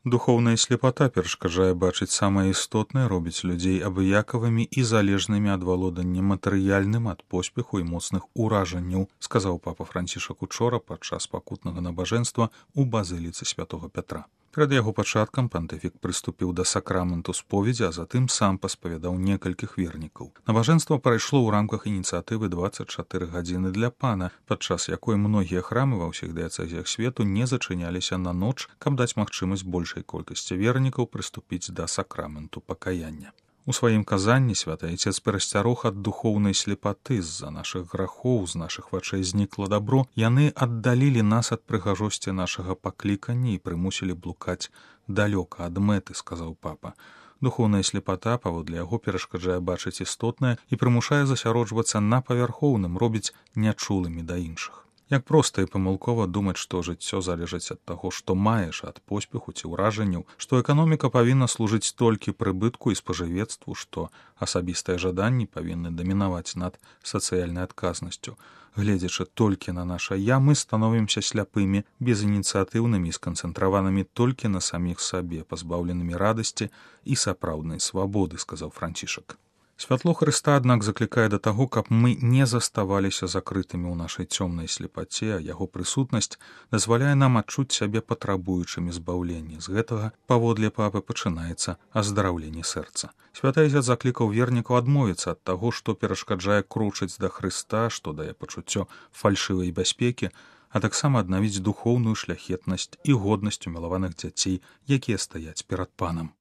Духоўная слепата перашкаджае бачыць самае істотнае, робіць людзей абыякавымі і залежнымі ад валодання матэрыяльным ад поспеху і моцных уражанняў, сказаў папа Францішак учора падчас пакутнага набажэнства ў базыліцы святого Пятра. Перад яго пачаткам пантыфік прыступіў да сакраменту споведзі, а затым сам паспавядаў некалькіх вернікаў. Набажэнства прайшло ў рамках ініцыятывы 24 гадзіны для пана, падчас якой многія храмы ва ўсіх дыяцэзіях свету не зачыняліся на ноч, каб даць магчымасць большай колькасці вернікаў прыступіць да сакраменту пакаяння. У сваім казанні святы айцец перасцярог ад духоўнай слепаты, з-за нашых грахоў, з нашых вачэй знікла дабро, яны аддалілі нас ад прыгажосці нашага паклікання і прымусілі блукаць далёка ад мэты, сказаў папа. Духоўная слепата, паводле яго, перашкаджае бачыць істотнае і прымушае засяроджвацца на павярхоўным, робіць нячулымі да іншых. Як проста і памылкова думаць, што жыццё залежыць ад таго, што маеш, ад поспеху ці ўражанняў, што эканоміка павінна служыць толькі прыбытку і спажывецтву, што асабістыя жаданні павінны дамінаваць над сацыяльнай адказнасцю. Гледзячы толькі на наша «я», мы становімся сляпымі, безініцыятыўнымі і сканцэнтраванымі толькі на саміх сабе, пазбаўленымі радасці і сапраўднай свабоды, сказаў Францішак. Святло Хрыста, аднак, заклікае да таго, каб мы не заставаліся закрытымі ў нашай цёмнай слепаце, а яго прысутнасць дазваляе нам адчуць сябе патрабуючымі збаўлення. З гэтага, паводле папы, пачынаецца аздараўленне сэрца. Святы айцец заклікаў вернікаў адмовіцца ад таго, што перашкаджае крочыць да Хрыста, што дае пачуццё фальшывай бяспекі, а таксама аднавіць духоўную шляхетнасць і годнасць умілаваных дзяцей, якія стаяць перад панам.